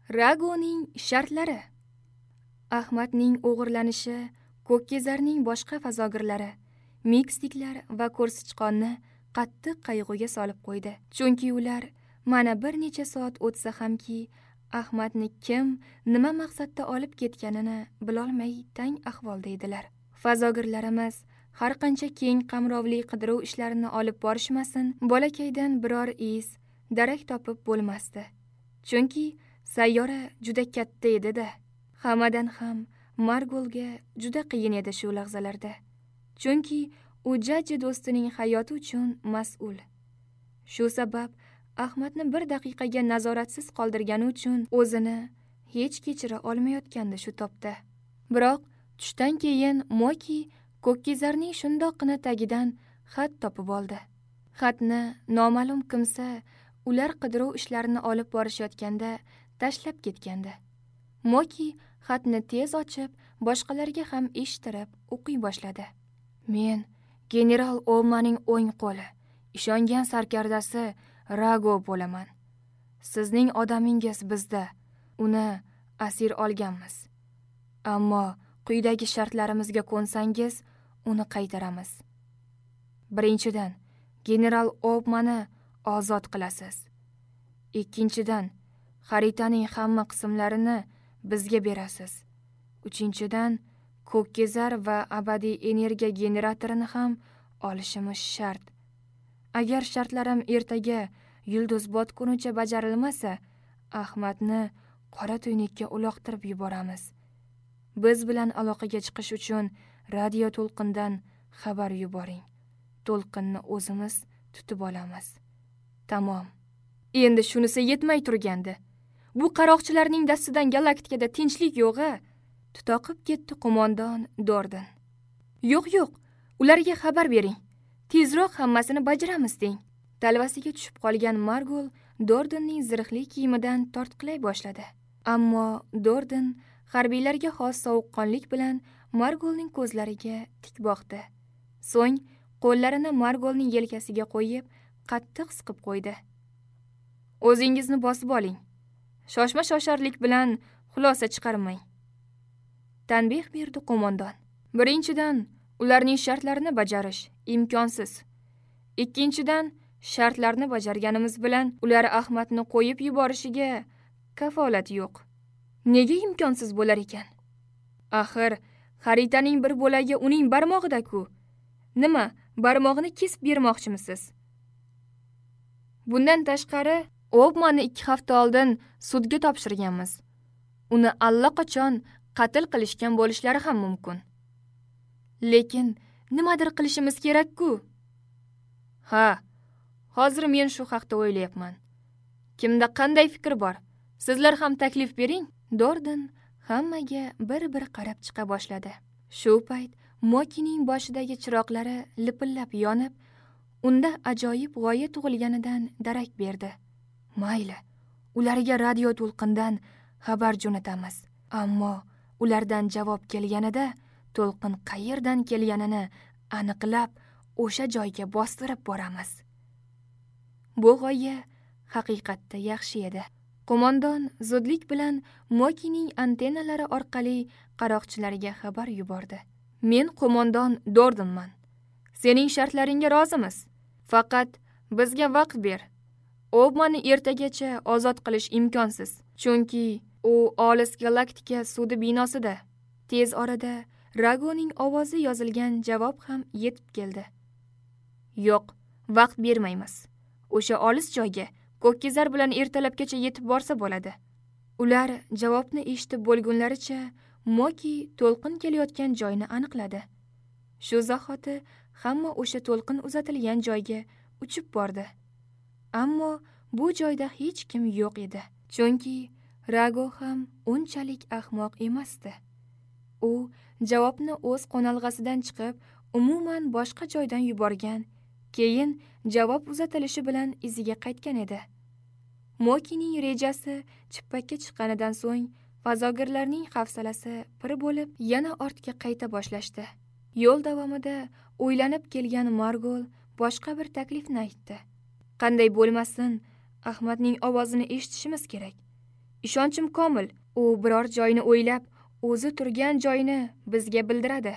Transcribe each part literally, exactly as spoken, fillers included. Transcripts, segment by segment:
Ragoning shartlari. Ahmadning o'g'irlanishi Ko'kkezarning boshqa fazogirlari, Mikstiklar va ko'rsichqonni qattiq qayg'uga solib qo'ydi. Chunki ular mana bir necha soat o'tsa hamki Ahmadni kim, nima maqsadda olib ketganini bilolmay tang ahvolda edilar. Fazogirlarimiz har qancha keng qamrovli qidiruv ishlarini olib borishmasin, bolakaydan biror iz, darak topib bo'lmasdi. Chunki sayyora juda katta edi-da. Hammadan ham Margolga juda qiyin edi shu lahzalarda. Chunki u jajji do'stining hayoti uchun mas'ul. Shu sabab Ahmadni bir daqiqaga nazoratsiz qoldirgani uchun o'zini hech kechira olmayotgandi shu topda. Biroq tushdan keyin Moki Ko'kkezarning shundoqqina tagidan xat topib oldi. Xatni noma'lum kimsa ular qidiruv ishlarini olib borishayotganda tashlab ketgandi. Moki xatni tez ochib, boshqalarga ham eshittirib o'qiy boshladi. Men general Olmaning o'ng qo'li, ishongan sarkardasi Rago bo'laman. Sizning odamingiz bizda, uni asir olganmiz. Ammo quyidagi shartlarimizga ko'nsangiz, uni qaytaramiz. Birinchidan, general Obmani ozod qilasiz. Ikkinchidan, xaritaning hamma qismlarini bizga berasiz. Uchinchidan, Ko'kkezar va abadiy energiya generatorini ham olishimiz shart. Agar shartlarim ertaga yulduz botgunicha bajarilmasa, Ahmadni qora tuynukka uloqtirib yuboramiz. Biz bilan aloqaga chiqish uchun radio to'lqindan xabar yuboring. To'lqinni o'zimiz tutib olamiz. Tamom. Endi shunisi yetmay turgandi. Bu qaroqchilarning dastidan galaktikada tinchlik yo'q-a? Tutoqib ketdi qo'mondon Dorden. Yo'q, yo'q, ularga xabar bering. Tezroq hammasini bajaramiz deng. Talvasiga tushib qolgan Margol Dordenning zirhli kiyimidan tortqilay boshladi. Ammo Dorden harbiylarga xos sovuqqonlik bilan Margolning ko'zlariga tik boqdi. So'ng qo'llarini Margolning yelkasiga qo'yib, qattiq siqib qo'ydi. O'zingizni bosib oling. Shoshma shosharlik bilan xulosa chiqarmang. Tanbeh berdi qo'mondon. Birinchidan, ularning shartlarini bajarish imkonsiz. Ikkinchidan, shartlarni bajarganimiz bilan ular Ahmadni qo'yib yuborishiga kafolat yo'q. Nega imkonsiz bo'lar ekan? Axir, xaritaning bir bo'lagi uning barmog'ida-ku. Nima, barmog'ini kesib bermoqchimisiz? Bundan tashqari, Obmani ikki hafta oldin sudga topshirganmiz. Uni allaqachon qatl qilishgan bo'lishlari ham mumkin. Lekin nimadir qilishimiz kerak-ku. Ha, hozir men shu haqda o'ylayapman. Kimda qanday fikr bor? Sizlar ham taklif bering. Dorden hammaga bir-bir qarab chiqa boshladi. Shu payt Mokining boshidagi chiroqlari lipillab yonib, unda ajoyib g'oya tug'ilganidan darak berdi. Mayli, ularga radio to'lqindan xabar jo'natamiz. Ammo ulardan javob kelganida to'lqin qayerdan kelganini aniqlab, o'sha joyga bostirib boramiz. Bu g'oya haqiqatda yaxshi edi. Qo'mondon zudlik bilan Mokining antennalari orqali qaroqchilarga xabar yubordi. Men qo'mondon Dordonman. Sening shartlaringga rozimiz. Faqat bizga vaqt ber. Obmani ertagacha ozod qilish imkonsiz, chunki u olis galaktika sudi binosida. Tez orada Ragoning ovozi yozilgan javob ham yetib keldi. Yo'q, vaqt bermaymiz. O'sha olis joyga Ko'kkezar bilan ertalabgacha yetib borsa bo'ladi. Ular javobni eshitib bo'lgunlaricha Moki to'lqin kelayotgan joyni aniqladi. Shu zahoti hamma o'sha to'lqin uzatilgan joyga uchib bordi. Ammo bu joyda hech kim yo'q edi. Chunki Rago ham unchalik ahmoq emasdi. U javobni o'z qo'nalg'asidan chiqib, umuman boshqa joydan yuborgan, keyin javob uzatilishi bilan iziga qaytgan edi. Mokining rejasi chippakka chiqqanidan so'ng fazogirlarning hafsalasi pir bo'lib, yana ortga qayta boshlashdi. Yo'l davomida o'ylanib kelgan Margol boshqa bir taklifni aytdi. Qanday bo'lmasin, Ahmadning ovozini eshitishimiz kerak. Ishonchim komil, u biror joyni o'ylab, o'zi turgan joyini bizga bildiradi.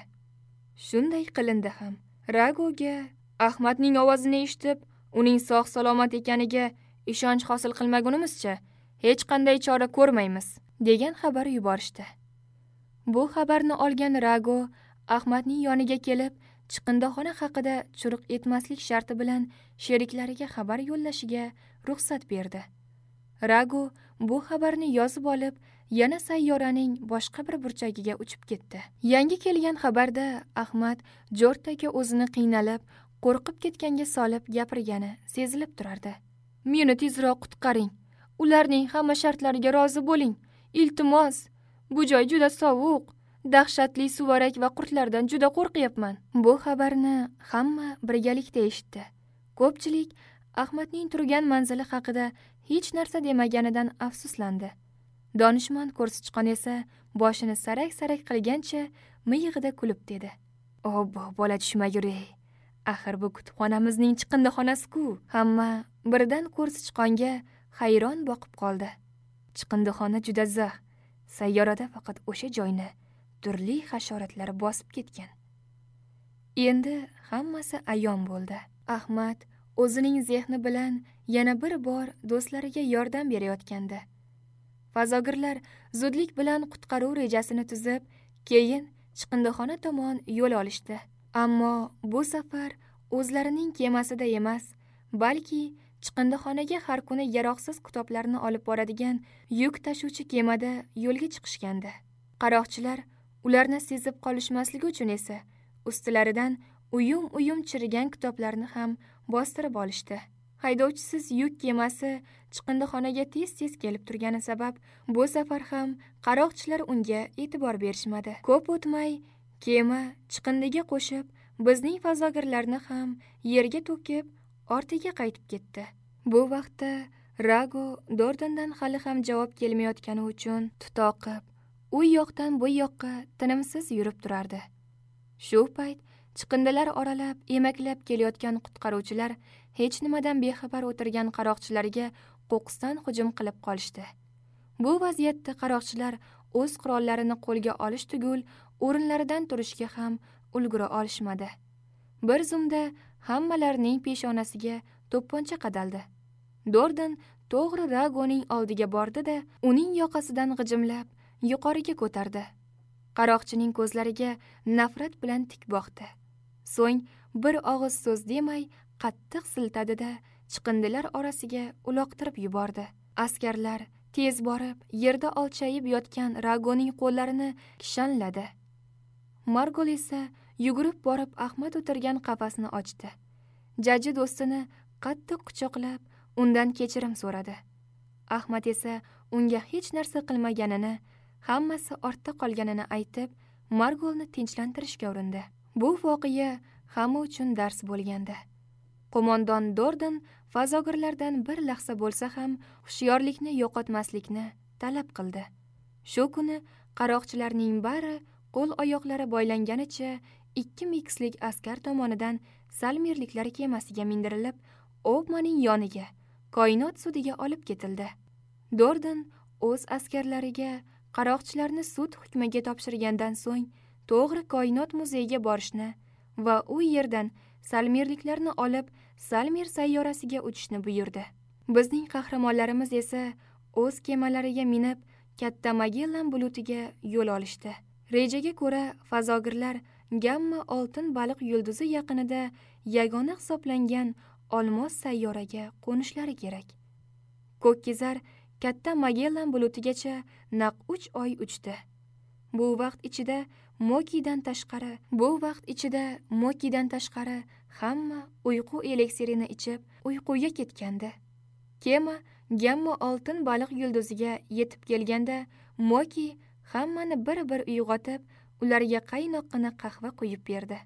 Shunday qilindi ham. Ragoga Ahmadning ovozini eshitib, uning sog' salomat ekaniga ishonch hosil qilmagunimizcha hech qanday chora ko'rmaymiz, degan xabar yuborishdi. Bu xabarni olgan Rago Ahmadning yoniga kelib, chiqindixona haqida churuq etmaslik sharti bilan sheriklariga xabar yo'llashiga ruxsat berdi. Rago bu xabarni yozib olib, yana sayyoraning boshqa bir burchagiga uchib ketdi. Yangi kelgan xabarda Ahmad Jortaga o'zini qiynalib, qo'rqib ketganga solib gapirgani sezilib turardi. Meni tezroq qutqaring. Ularning hamma shartlariga rozi bo'ling. Iltimos, bu joy juda sovuq. Dahshatli suvarak va qurtlardan juda qo'rqyapman. Bu xabarni hamma birgalikda eshitdi. Ko'pchilik Ahmadning turgan manzili haqida hech narsa demaganidan afsuslandi. Donishmand ko'rsichqon esa boshini sarak-sarak qilgancha miyig'ida kulib dedi. Obbo, bola tushmagur ey. Axir bu kutubxonamizning chiqindixonasi-ku. Hamma birdan ko'rsichqonga hayron boqib qoldi. Chiqindixona juda zax. Sayyorada faqat o'sha joyni turli hasharotlar bosib ketgan. Endi hammasi ayon bo'ldi. Ahmad o'zining zehni bilan yana bir bor do'stlariga yordam berayotgandi. Fazogirlar zudlik bilan qutqaruv rejasini tuzib, keyin chiqindixona tomon yo'l olishdi. Ammo bu safar o'zlarining kemasida emas, balki chiqindixonaga har kuni yaroqsiz kitoblarni olib boradigan yuk tashuvchi kemada yo'lga chiqishgandi. Qaroqchilar ularni sezib qolishmasligi uchun esa ustilaridan uyum-uyum chirigan kitoblarni ham bostirib olishdi. Haydovchisiz yuk kemasi chiqindixonaga tez-tez kelib turgani sabab bu safar ham qaroqchilar unga e'tibor berishmadi. Ko'p o'tmay kema chiqindiga qo'shib, bizning fazogirlarni ham yerga to'kib, ortiga qaytib ketdi. Bu vaqtda Rago Dordondan hali ham javob kelmayotgani uchun tutoqib, u yoqdan bu yoqqa tinimsiz yurib turardi. Shu payt chiqindilar oralab, emaklab kelayotgan qutqaruvchilar hech nimadan bexabar o'tirgan qaroqchilarga qo'qqisdan hujum qilib qolishdi. Bu vaziyatda qaroqchilar o'z qurollarini qo'lga olish tugul, o'rinlaridan turishga ham ulgura olishmadi. Bir zumda hammalarining peshonasiga to'pponcha qadaldi. Dordon to'g'ri Ragoning oldiga bordi-da, uning yoqasidan g'ijimlab yuqoriga ko'tardi. Qaroqchining ko'zlariga nafrat bilan tik boqdi. So'ng bir og'iz so'z demay qattiq siltadi-da, chiqindilar orasiga uloqtirib yubordi. Askarlar tez borib, yerda olchayib yotgan Ragoning qo'llarini kishanladi. Margol esa yugurib borib Ahmad o'tirgan qafasni ochdi. Jaji do'stini qattiq quchoqlab, undan kechirim so'radi. Ahmad esa unga hech narsa qilmaganini, hammasi ortda qolganini aytib, Margolni tinchlantirishga urindi. Bu voqea hamma uchun dars bo'lgandi. Qo'mondon Dordon fazogirlardan bir lahza bo'lsa ham hushyorlikni yo'qotmaslikni talab qildi. Shu kuni qaroqchilarning bari qo'l-oyoqlari boylanganicha ikki mikslik askar tomonidan Salmirliklar kemasiga mindirilib, Obmaning yoniga, koinot sudiga olib ketildi. Dordon o'z askarlariga qaroqchilarni sud hukmiga topshirgandan so'ng to'g'ri koinot muzeyiga borishni va u yerdan Salmirliklarni olib Salmir sayyorasiga uchishni buyurdi. Bizning qahramonlarimiz esa o'z kemalariga minib katta Magellan bulutiga yo'l olishdi. Rejaga ko'ra fazogirlar Gamma oltin baliq yulduzi yaqinida yagona hisoblangan olmos sayyoraga qo'nishlari kerak. Ko'kkizar katta Magellan bulutigacha naq uch oy uchdi. Bu vaqt ichida Mokidan tashqari, bu vaqt ichida Mokidan tashqari hamma uyqu eliksirini ichib, uyquga ketgandi. Kema Gamma oltin baliq yulduziga yetib kelganda Moki hammani bir-bir uyg'otib, ularga qaynoqqina qahva quyib berdi.